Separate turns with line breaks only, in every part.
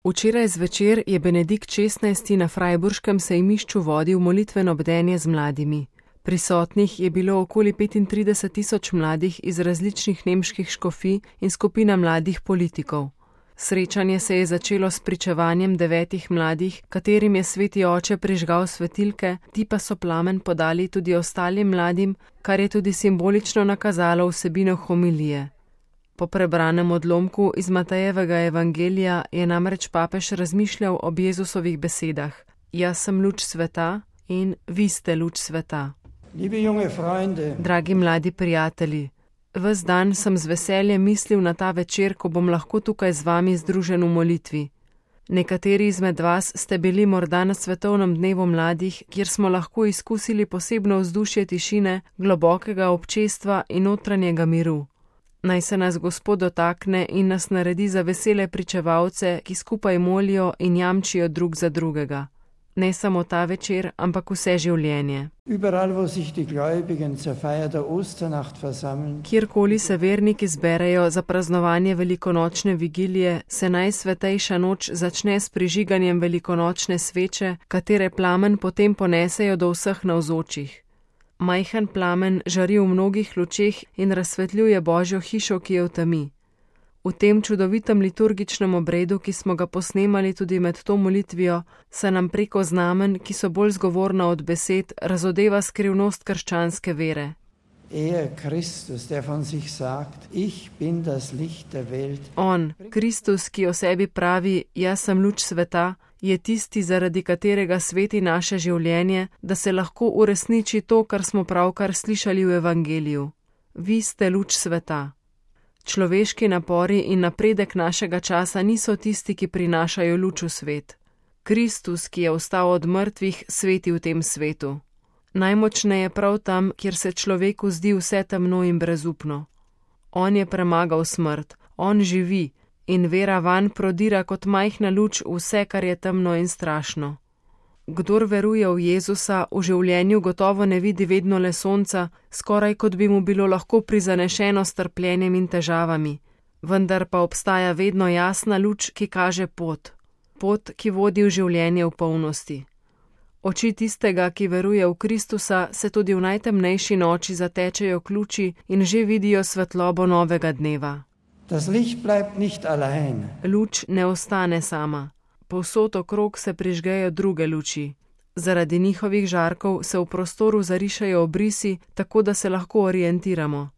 Včeraj zvečer je Benedikt XVI. Na Freiburškem sejmišču vodil molitveno bdenje z mladimi. Prisotnih je bilo okoli 35.000 mladih iz različnih nemških škofij in skupina mladih politikov. Srečanje se je začelo s pričevanjem 9 mladih, katerim je sveti oče prižgal svetilke, ti pa so plamen podali tudi ostalim mladim, kar je tudi simbolično nakazalo vsebino homilije. Po prebranem odlomku iz Matejevega evangelija je namreč papež razmišljal ob Jezusovih besedah: Jaz sem luč sveta in vi ste luč sveta. Dragi mladi prijatelji, ves dan sem z veseljem mislil na ta večer, ko bom lahko tukaj z vami združen v molitvi. Nekateri izmed vas ste bili morda na svetovnem dnevu mladih, kjer smo lahko izkusili posebno vzdušje tišine, globokega občestva in notranjega miru. Naj se nas Gospod dotakne in nas naredi za vesele pričevalce, ki skupaj molijo in jamčijo drug za drugega. Ne samo ta večer, ampak vse življenje. Kjerkoli se verniki zberejo za praznovanje velikonočne vigilije, se najsvetejša noč začne s prižiganjem velikonočne sveče, katere plamen potem ponesejo do vseh navzočih. Majhen plamen žari v mnogih lučeh in razsvetljuje Božjo hišo, ki je v temi. V tem čudovitem liturgičnem obredu, ki smo ga posnemali tudi med to molitvijo, se nam preko znamen, ki so bolj zgovorna od besed, razodeva skrivnost krščanske vere. On, Kristus, ki o sebi pravi: Jaz sem luč sveta, je tisti, zaradi katerega sveti naše življenje, da se lahko uresniči to, kar smo pravkar slišali v evangeliju. Vi ste luč sveta. Človeški napori in napredek našega časa niso tisti, ki prinašajo luč v svet. Kristus, ki je vstal od mrtvih, sveti v tem svetu. Najmočneje prav tam, kjer se človeku zdi vse temno in brezupno. On je premagal smrt, on živi in vera vanj prodira kot majhna luč vse, kar je temno in strašno. Kdor veruje v Jezusa, v življenju gotovo ne vidi vedno le sonca, skoraj kot bi mu bilo lahko prizanešeno s trpljenjem in težavami, vendar pa obstaja vedno jasna luč, ki kaže pot. Pot, ki vodi v življenje v polnosti. Oči tistega, ki veruje v Kristusa, se tudi v najtemnejši noči zatečejo k luči in že vidijo svetlobo novega dneva. Luč ne ostane sama. Povsod okrog se prižgejo druge luči. Zaradi njihovih žarkov se v prostoru zarišajo obrisi, tako da se lahko orientiramo.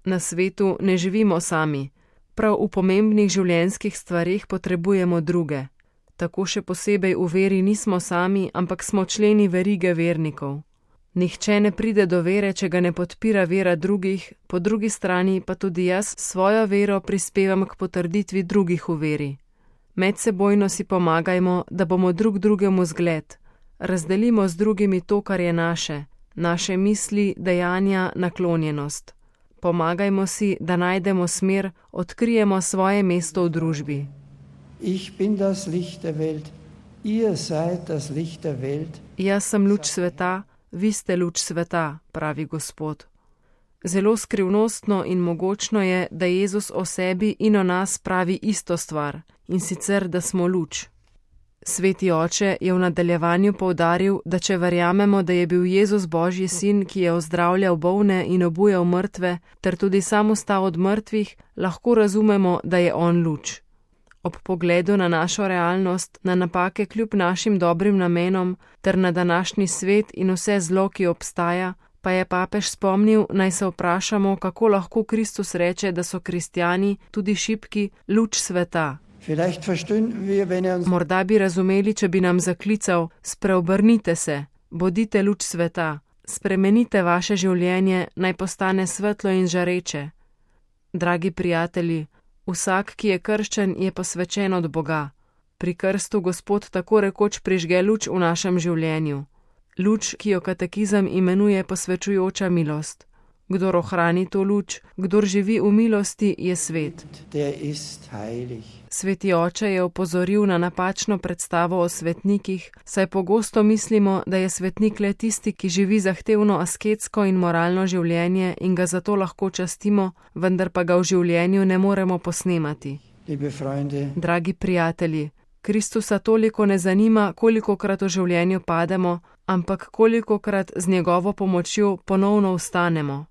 Na svetu ne živimo sami. Prav v pomembnih življenjskih stvareh potrebujemo druge. Tako še posebej v veri nismo sami, ampak smo členi verige vernikov. Nihče ne pride do vere, če ga ne podpira vera drugih, po drugi strani pa tudi jaz svojo vero prispevam k potrditvi drugih v veri. Medsebojno si pomagajmo, da bomo drug drugemu zgled. Razdelimo z drugimi to, kar je naše misli, dejanja, naklonjenost. Pomagajmo si, da najdemo smer, odkrijemo svoje mesto v družbi. Jaz sem luč sveta, vi ste luč sveta, pravi Gospod. Zelo skrivnostno in mogočno je, da Jezus o sebi in o nas pravi isto stvar, in sicer, da smo luč. Sveti oče je v nadaljevanju poudaril, da če verjamemo, da je bil Jezus Božji sin, ki je ozdravljal bolne in obujal mrtve, ter tudi sam vstal od mrtvih, lahko razumemo, da je on luč. Ob pogledu na našo realnost, na napake kljub našim dobrim namenom, ter na današnji svet in vse zlo, ki obstaja, pa je papež spomnil, naj se vprašamo, kako lahko Kristus reče, da so kristjani, tudi šibki, luč sveta. Morda bi razumeli, če bi nam zaklical: spreobrnite se, bodite luč sveta, spremenite vaše življenje, naj postane svetlo in žareče. Dragi prijatelji, vsak, ki je krščen, je posvečen od Boga. Pri krstu Gospod tako rekoč prižge luč v našem življenju. Luč, ki jo katekizem imenuje posvečujoča milost. Kdor ohrani to luč, kdor živi v milosti, je svet. Sveti oče je opozoril na napačno predstavo o svetnikih, saj pogosto mislimo, da je svetnik le tisti, ki živi zahtevno asketsko in moralno življenje in ga zato lahko častimo, vendar pa ga v življenju ne moremo posnemati.
liebe Freunde,
Dragi prijatelji, Kristusa toliko ne zanima, kolikokrat v življenju pademo, ampak kolikokrat z njegovo pomočjo ponovno vstanemo.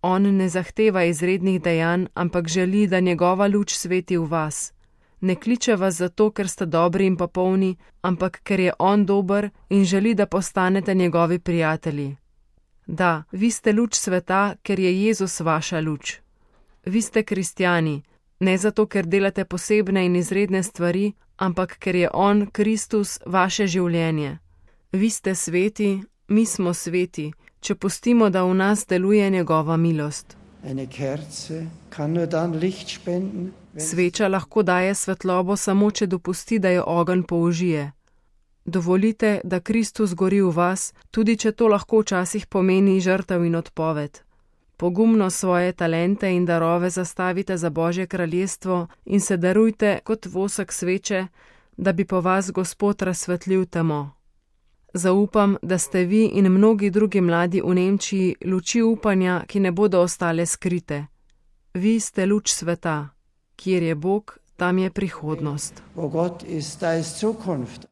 On ne zahteva izrednih dejanj, ampak želi, da njegova luč sveti v vas. Ne kliče vas zato, ker ste dobri in popolni, ampak ker je on dober in želi, da postanete njegovi prijatelji. Da, vi ste luč sveta, ker je Jezus vaša luč. Vi ste kristjani, ne zato, ker delate posebne in izredne stvari, ampak ker je on, Kristus, vaše življenje. Vi ste sveti, mi smo sveti, če pustimo, da v nas deluje njegova milost.
eine Kerze kann nur dann Licht spenden, wenn
Sveča lahko daje svetlobo samo, če dopusti, da jo ogenj použije. Dovolite, da Kristus gori v vas, tudi če to lahko včasih pomeni žrtev in odpoved. Pogumno svoje talente in darove zastavite za Božje kraljestvo in se darujte kot vosek sveče, da bi po vas Gospod razsvetlil temo. Zaupam, da ste vi in mnogi drugi mladi v Nemčiji luči upanja, ki ne bodo ostale skrite. Vi ste luč sveta. Kjer je Bog, tam je prihodnost.
wo Gott ist, da ist Zukunft.